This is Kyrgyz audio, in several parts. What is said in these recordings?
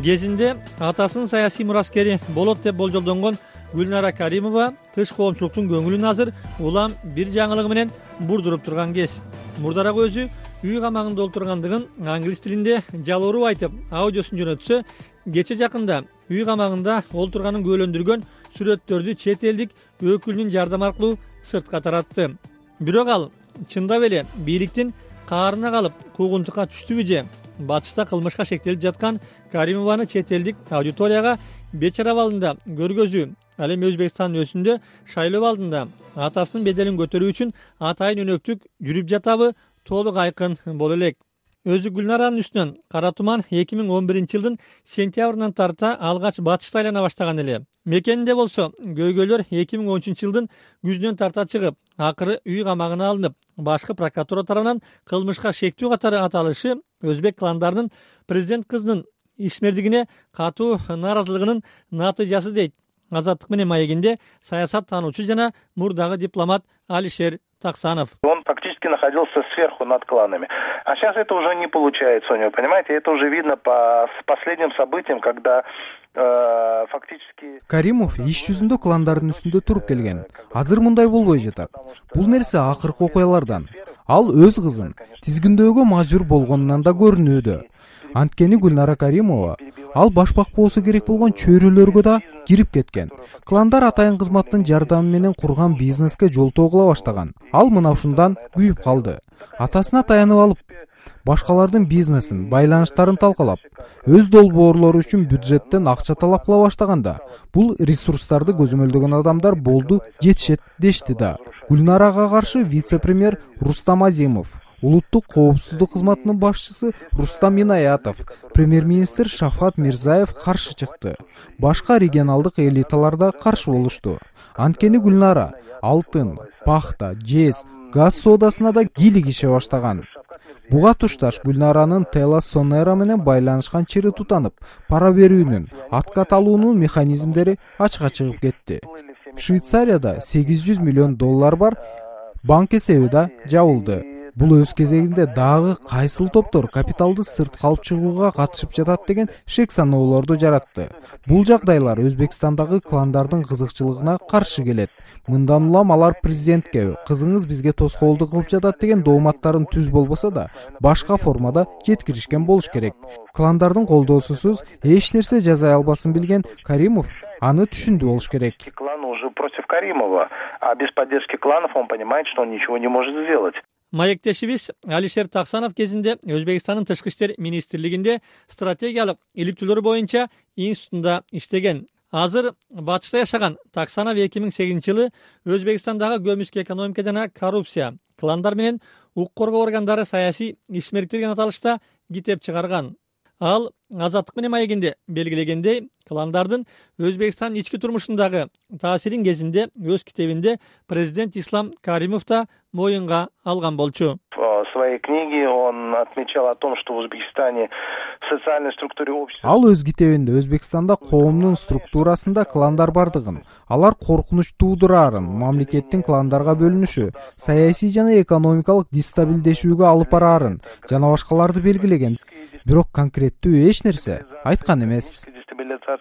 Кезинде атасынын саясий мураскери болот деп болжолдонгон Гүлнара Каримова тыш коомчулуктун көңүлүн азыр улам бир жаңылыгы менен бурдуруп турган кез. Мурдараак өзү үй камагында олтургандыгын англис тилинде жалооруп айтып, аудиосун жөнөтсө, кече жакында үй камагында олтурганын күбөлөндүргөн сүрөттөрдү чет элдик өкүлүнүн жардамы аркылуу сыртка таратты. Бирок ал чындап эле бийликтин каарына калып куугунтукка түштүбү же батышта кылмышка шектелип жаткан Каримованы чет элдик аудиторияга бечара абалында көргөзүү, ал эми Өзбекстандын өзүндө шайлоо алдында атасынын беделин көтөрүү үчүн атайын өнөктүк жүрүп жатабы толук айкын боло элек. Өзү Гүлнаранын үстүнөн кара туман 2011-жылдын сентябрынан тарта алгач батышта айлана баштаган эле. Мекенинде болсо көйгөйлөр 2013-жылдын күзүнөн тарта чыгып, акыры үй камагына алынып, башкы прокуратура тарабынан кылмышка шектүү катары аталышы өзбек кландарынын президент кызынын ишмердигине катуу нааразылыгынын натыйжасы дейт Азаттык менен маегинде саясат таануучу жана мурдагы дипломат Алишер Таксанов. Он фактически находился сверху над кланами. А сейчас это уже не получается у него, понимаете? Это уже видно по последним событиям, когда фактически... Каримов иш жүзүндө кландардын үстүндө туруп келген. Азыр мындай болбой жатат. Бул нерсе акыркы окуялардан. Ал өз кызын тизгиндөөгө мажбур болгонунан да көрүнүүдө. Анткени Гүлнара Каримова ал башпак болсо керек болгон чөйрөлөргө да кирип кеткен. Кландар атайын кызматтын жардамы менен курган бизнеске жолтоо кыла баштаган. Ал мына ушундан күйүп калды. Атасына таянып алып, башкалардын бизнесин, байланыштарын талкалап, өз долбоорлору үчүн бюджеттен акча талап кыла баштаганда, бул ресурстарды көзөмөлдөгөн адамдар болду, жетишет дешти да. Гүлнарага каршы вице-премьер Рустам Азимов, улуттук коопсуздук кызматынын башчысы Рустам Инаятов, премьер-министр Шавкат Мирзаев каршы чыкты. Башка регионалдык элиталар да каршы болушту. Анткени Гүлнара алтын, пахта, жез, газ соодасына да кийлик ише баштаган. Буга тушташ Гүлнаранын Тела Сонера менен байланышкан чири тутанып, пара берүүнүн, откат алуунун механизмдери ачыкка чыгып кетти. Швейцарияда 800 миллион доллар бар банк эсеби да жабылды. Бул өз кезегинде дагы кайсыл топтор капиталды сыртка алып чыгууга катышып жатат деген шек саноолорду жаратты. Бул жагдайлар Өзбекстандагы кландардын кызыкчылыгына каршы келет. Мындан улам алар президентке кызыңыз бизге тоскоолдук кылып жатат деген дооматтарын түз болбосо да, башка формада жеткиришкен болуш керек. Кландардын колдоосусуз эч нерсе жасай албасын билген Каримов аны түшүндү болуш керек. Клан уже против Каримова, а без поддержки кланов он понимает, что он ничего не может сделать. Маектешибиз Алишер Таксанов кезинде Өзбекстандын тышкы иштер министрлигинде стратегиялык иликтүүлөр боюнча институтунда иштеген. Азыр батышта жашаган Таксанов 2008-жылы Өзбекстандагы көмүскө экономика жана коррупция, кландар менен укук коргоо органдары саясий ишмердик деген аталышта китеп чыгарган. Ал Азаттык менен маегинде белгилегендей, кландардын Өзбекстандын ички турмушундагы таасирин кезинде өз китебинде президент Ислам Каримов да моюнга алган болчу. В своей книге он отмечал о том, что в Узбекистане в социальной структуре общества... Ал өз китебинде Өзбекстанда коомдун структурасында кландар бардыгын, алар коркунуч туудурарын, мамлекеттин кландарга бөлүнүшү, саясий жана экономикалык дестабилдешүүгө алып бараарын жана башкаларды белгилеген. Бирок конкреттүү эч нерсе айткан эмес.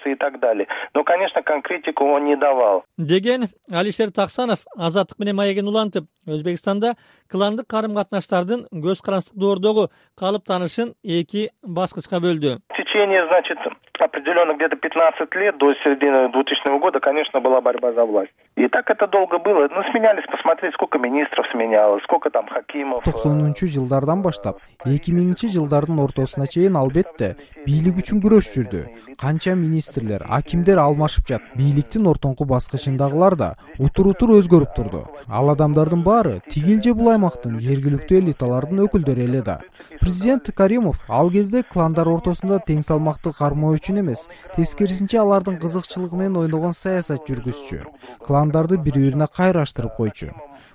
И так далее. Но, конечно, конкретику он не давал. Деген Алишер Таксанов Азаттык менен маегин улантып, Өзбекстанда кландык карым-катнаштардын көз карандык доордогу калыптанышын эки баскычка бөлдү. В течение, значит, определенно где-то 15 лет до середины 2000 года, конечно, была борьба за власть. И так это долго было. Ну, сменялись, посмотреть, сколько министров сменялось, сколько там хакимов. 90-жылдардан баштап 2000-жылдардын ортосуна чейин албетте бийлик үчүн күрөш жүрдү. Канча министрлер, акимдер алмашып жат. Бийликтин ортоңку баскычындагылар да утур-утур өзгөрүп турду. Ал адамдардын баары тигил же бул аймактын жергиликтүү элиталардын өкүлдөрү эле да. Президент Каримов ал кезде кландар ортосунда тең салмакты кармоо үчүн эмес, тескерисинче алардын кызыкчылыгы менен ойногон саясат жүргүзчү. Кландарды бири-бирине кайраштырып койчу.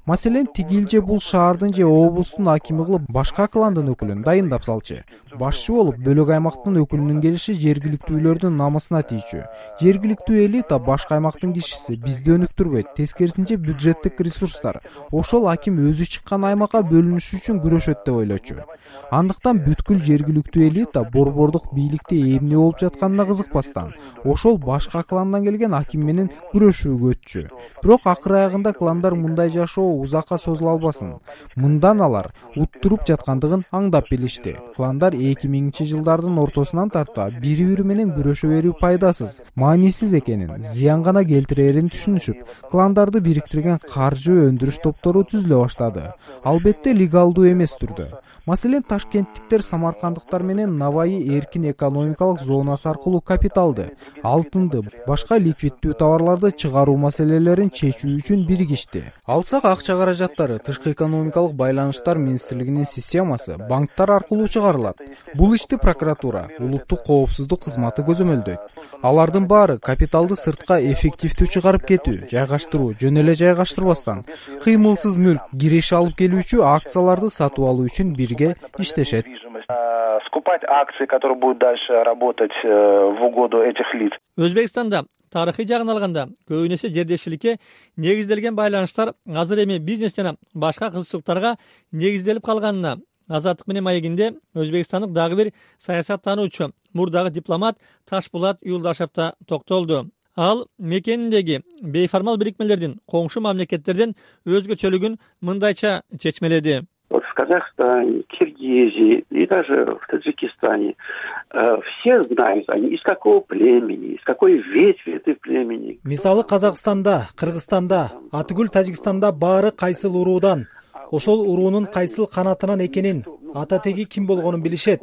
Маселен, тигил же бул шаардын же облустун акими кылып башка кландын өкүлүн дайындап салчу. Башчы болуп бөлөк аймактын өкүлүнүн келиши жергиликтүүлөрдүн намысына тийчү. Жергиликтүү элита башка аймактын кишиси бизди өнүктүрбөйт, тескерисинче бюджеттик ресурстар ошол аким өзү чыккан аймакка бөлүнүш үчүн күрөшөт деп ойлочу. Андыктан бүткүл жергиликтүү элита борбордук бийликте эмне болуп жатканына кызыкпастан ошол башка кландан келген аким менен күрөшүүгө өтчү. Бирок акыр аягында кландар мындай жашоо узакка созула албасын. Мындан алар уттуруп жаткандыгын аңдап билишти. Кландар 2000-жылдардын ортосунан тарта бири-бири менен күрөшө берүү пайдасыз, маанисиз экенин, зыян гана келтирерин түшүнүшүп, кландарды бириктирген каржы өндүрүш топтору түзүлө баштады. Албетте легалдуу эмес түрдө. Маселен, ташкенттиктер самаркандыктар менен Наваи эркин экономикалык зонасы аркылуу капиталды, алтынды, башка ликвиддүү товарларды чыгаруу маселелерин чечүү үчүн биригишти. Алсак, акча каражаттары тышкы экономикалык байланыштар министрлигинин системасы банктар аркылуу чыгарылат. Бул ишти прокуратура, улуттук коопсуздук кызматы көзөмөлдөйт. Алардын баары капиталды сыртка эффективдүү чыгарып кетүү, жайгаштыруу, жөн эле жайгаштырбастан, кыймылсыз мүлк, киреше алып келүүчү акцияларды сатып алуу үчүн бирге иштешет. Скупать акции, которые будут дальше работать в угоду этих лиц. Өзбекстанда тарыхый жагын алганда көбүн эсе жердешчиликке негизделген байланыштар азыр эми бизнес жана башка кызыкчылыктарга негизделип калганына Азаттык менен маегинде өзбекстандык дагы бир саясаттануучу, мурдагы дипломат Ташпулат Юлдашев да токтолду. Ал мекениндеги бейформал бирикмелердин коңшу мамлекеттерден өзгөчөлүгүн мындайча чечмеледи. Вот в Казахстане, Киргизии и даже в Таджикистане все знают они из какого племени, из какой ветви этой племени. Мисалы Казакстанда, Кыргызстанда, атүгүл Тажикстанда баары кайсыл уруудан, ошол уруунун кайсыл канатынан экенин, ата теги ким болгонун билишет.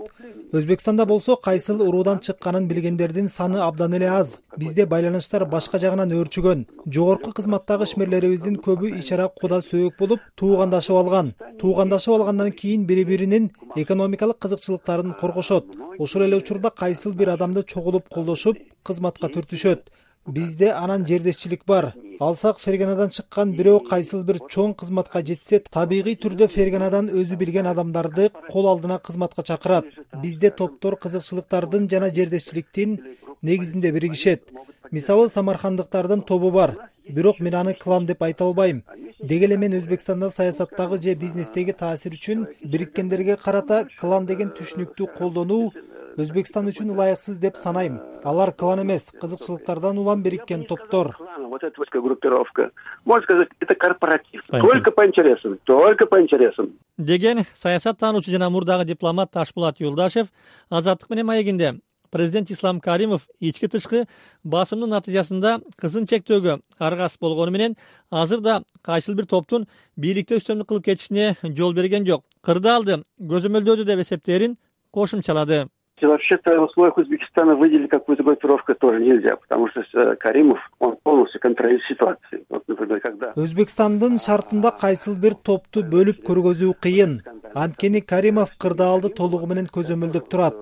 Өзбекстанда болсо кайсыл уруудан чыкканын билгендердин саны абдан эле аз. Бизде байланыштар башка жагынан өөрчүгөн. Жогорку кызматтагы ишмерлерибиздин көбү ичара куда сөөк болуп, туугандашып алган. Туугандашып алгандан кийин бири-биринин экономикалык кызыкчылыктарын коргошот. Ошол эле учурда кайсыл бир адамды чогулуп колдошуп, кызматка түртүшөт. Бизде анан жердешчилик бар. Алсак, Ферганадан чыккан бирөө кайсыл бир чоң кызматка жетсе, табигый түрдө Ферганадан өзү билген адамдарды кол алдына кызматка чакырат. Бизде топтор кызыкчылыктардын жана жердешчиликтин негизинде биригишет. Мисалы, самаркандыктардын тобу бар. Бирок мен аны клан деп айта албайм. Деги эле мен Өзбекстанда саясаттагы же бизнестеги таасир үчүн бириккендерге карата клан деген түшүнүктү колдонуу Өзбекстан үчүн ылайыксыз деп санайм. Алар клан эмес, кызыкчылыктардан улам бириккен топтор. Вот эта группировка, можно сказать, это корпоратив. Только по интересам, только по интересам. Деген саясаттануучу жана мурдагы дипломат Ташпулат Юлдашев Азаттык менен маегинде президент Ислам Каримов ички тышкы басымдын натыйжасында кызын чектөөгө аргасыз болгону менен азыр да кайсыл бир топтун бийликте үстөмдүк кылып кетишине жол берген жок. Кырдаалды көзөмөлдөөдү деп эсептээрин кошумчалады. Вообще-то в условиях Узбекистана выделить какую-то группировку тоже нельзя, потому что Каримов, он полностью контролирует ситуацию. Вот, например, когда... Өзбекстандын шартында кайсыл бир топту бөлүп көргөзүү кыйын. Анткени Каримов кырдаалды толугу менен көзөмөлдөп турат.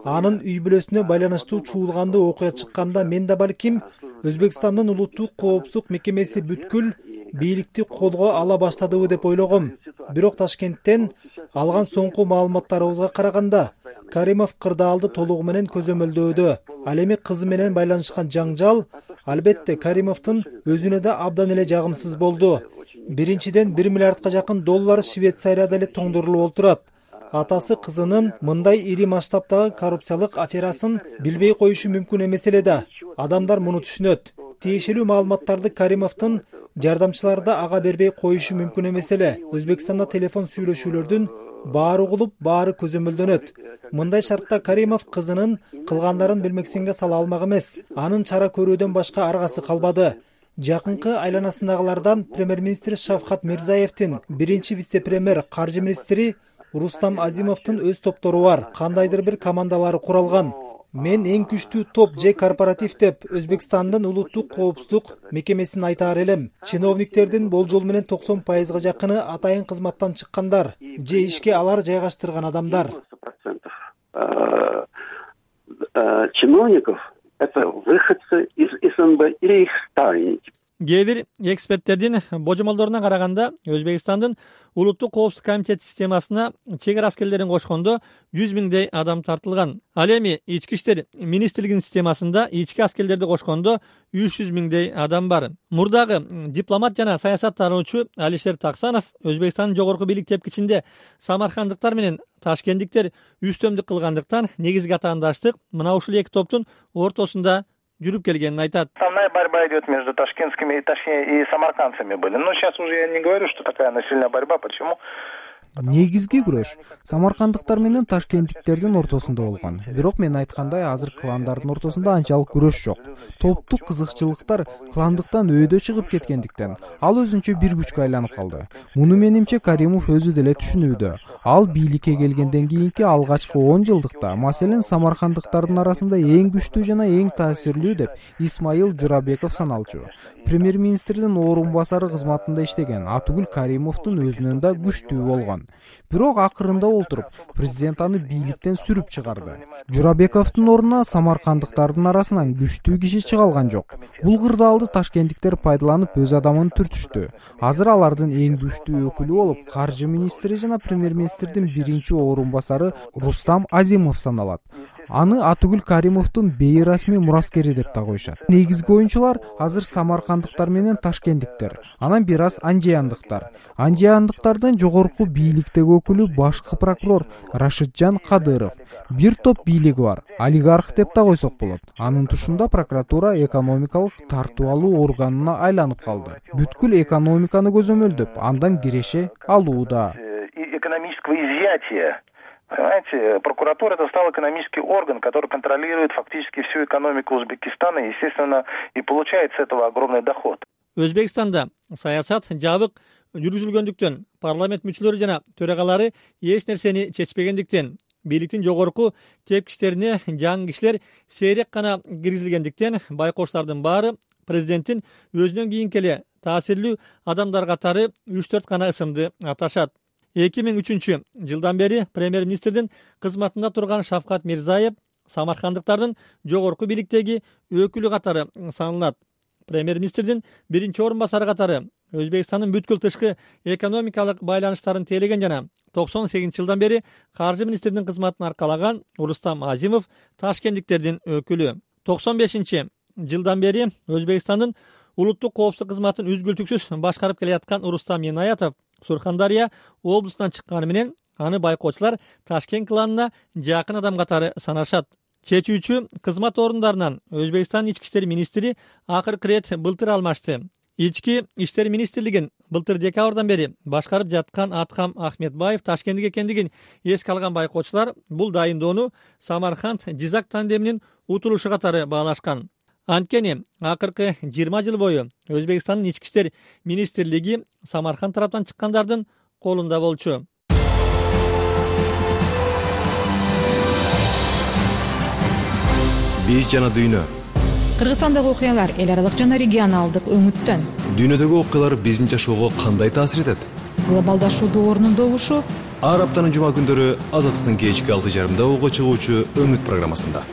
Анын үй бүлөсүнө байланыштуу чуулгандуу окуя чыкканда мен да балким Өзбекстандын улуттук коопсуздук мекемеси бүткүл бийликти колго ала баштадыбы деп ойлогом. Бирок Ташкенттен алган соңку маалыматтарыбызга караганда Каримов кырдаалды толугу менен көзөмөлдөөдө. Ал эми кызы менен байланышкан жаңжал албетте Каримовдун өзүнө да абдан эле жагымсыз болду. Биринчиден 1 миллиардка жакын доллар Швейцарияда эле тоңдурулуп отурат. Атасы кызынын мындай ири масштабтагы коррупциялык аферасын билбей коюшу мүмкүн эмес эле да. Адамдар муну түшүнөт. Тиешелүү маалыматтарды Каримовдун жардамчылары да ага бербей коюшу мүмкүн эмес эле. Өзбекстанда телефон сүйлөшүүлөрдүн баары угулуп, баары көзөмөлдөнөт. Мындай шартта Каримов кызынын кылгандарын билмексенге сала алмак эмес. Анын чара көрүүдөн башка аргасы калбады. Жакынкы айланасындагылардан премьер-министр Шавкат Мирзаевдин, биринчи вице-премьер каржы министри Рустам Азимовдун өз топтору бар. Кандайдыр бир командалары куралган. Мен эң күчтүү топ же корпоратив деп Өзбекстандын улуттук коопсуздук мекемесин айтаар элем. Чиновниктердин болжол менен 90% жакыны атайын кызматтан чыккандар же ишке алар жайгаштырган адамдар. Чиновников это выходцы из СНБ или их ставленники. Кээ бир эксперттердин божомолдоруна караганда Өзбекстандын улуттук коопсуздук комитет системасына чек ара аскерлерин кошкондо 100 миңдей адам тартылган. Ал эми ички иштер министрлигинин системасында ички аскерлерди кошкондо 300 миңдей адам бар. Мурдагы дипломат жана саясаттануучу Алишер Таксанов Өзбекстандын жогорку бийлик тепкичинде самаркандыктар менен ташкенттиктер үстөмдүк кылгандыктан негизги атаандаштык мына ушул эки топтун ортосунда жүрүп келгенин айтат. Основная борьба идет между ташкентскими, точнее, и самаркандцами были. Но сейчас уже я не говорю, что такая насильная борьба. Почему? Негизги күрөш самаркандыктар менен ташкенттиктердин ортосунда болгон. Бирок мен айткандай азыр кландардын ортосунда анчалык күрөш жок. Топтук кызыкчылыктар кландыктан өйдө чыгып кеткендиктен ал өзүнчө бир күчкө айланып калды. Муну менимче Каримов өзү деле түшүнүүдө. Ал бийликке келгенден кийинки алгачкы 10 жылдыкта, маселен, самаркандыктардын арасында эң күчтүү жана эң таасирлүү деп Исмаил Журабеков саналчу. Премьер-министрдин орун басары кызматында иштеген Атугүл Каримовдун өзүнөн да күчтүү болгон. Бирок акырында олтуруп президент аны бийликтен сүрүп чыгарды. Журабековдун ордуна самаркандыктардын арасынан күчтүү киши чыга алган жок. Бул кырдаалды ташкенттиктер пайдаланып өз адамын түртүштү. Азыр алардын эң күчтүү өкүлү болуп каржы министри жана премьер-министрдин биринчи орун басары Рустам Азимов саналат. Аны Атугүл Каримовдун бейрасмий мураскери деп да коюшат. Негизги оюнчулар азыр самаркандыктар менен ташкенттиктер, анан бир аз анжияндыктар. Анжияндыктардын жогорку бийликтеги өкүлү башкы прокурор Рашиджан Кадыров. Бир топ бийлиги бар, олигарх деп да койсок болот. Анын тушунда прокуратура экономикалык тартуу алуу органына айланып калды. Бүткүл экономиканы көзөмөлдөп, андан киреше алууда. Экономического изъятия. Понимаете, прокуратура это стал экономический орган, который контролирует фактически всю экономику Узбекистана и, естественно, и получает с этого огромный доход. Өзбекстанда саясат жабык жүргүзүлгөндүктөн парламент мүчөлөрү жана төрагалары эч нерсени чечпегендиктен бийликтин жогорку тепкичтерине жаңы кишилер сейрек гана киргизилгендиктен байкоочулардын баары президенттин өзүнөн кийинки эле таасирлүү адамдар катары 3-4 гана ысымды аташат. 2003 жылдан бери премьер-министрдин кызматында турган Шавкат Мирзаев самаркандыктардын жогорку бийликтеги өкүлү катары саналат. Премьер-министрдин биринчи орун басары катары Өзбекстандын бүткүл тышкы экономикалык байланыштарын тейлеген жана 98 жылдан бери каржы министрдин кызматын аркалаган Рустам Азимов ташкенттиктердин өкүлү. 95 жылдан бери Өзбекстандын улуттук коопсуздук кызматын үзгүлтүксүз башкарып келаткан Рустам Инаятов Сурхандария облусунан чыкканы менен аны байкоочулар Ташкент кланына жакын адам катары санашат. Чечүүчү кызмат орундарынан Өзбекстан ички иштер министри акыркы ирет былтыр алмашты. Ички иштер министрлигин былтыр декабрдан бери башкарып жаткан Аткам Ахметбаев Ташкенттик экендигин эске алган байкоочулар бул дайындоону Самарканд-Жизак тандеминин утулушу катары баалашкан. Анткени акыркы 20 жыл бою Өзбекстандын ички иштер министрлиги Самарканд тараптан чыккандардын колунда болчу. Биз жана дүйнө. Кыргызстандагы окуялар эл аралык жана регионалдык өңүттөн. Дүйнөдөгү окуялар биздин жашоого кандай таасир этет? Глобалдашуу доорунун добушу ар аптанын жума күндөрү Азаттыктын кечки 6:30 угуга чыгуучу өңүт программасында.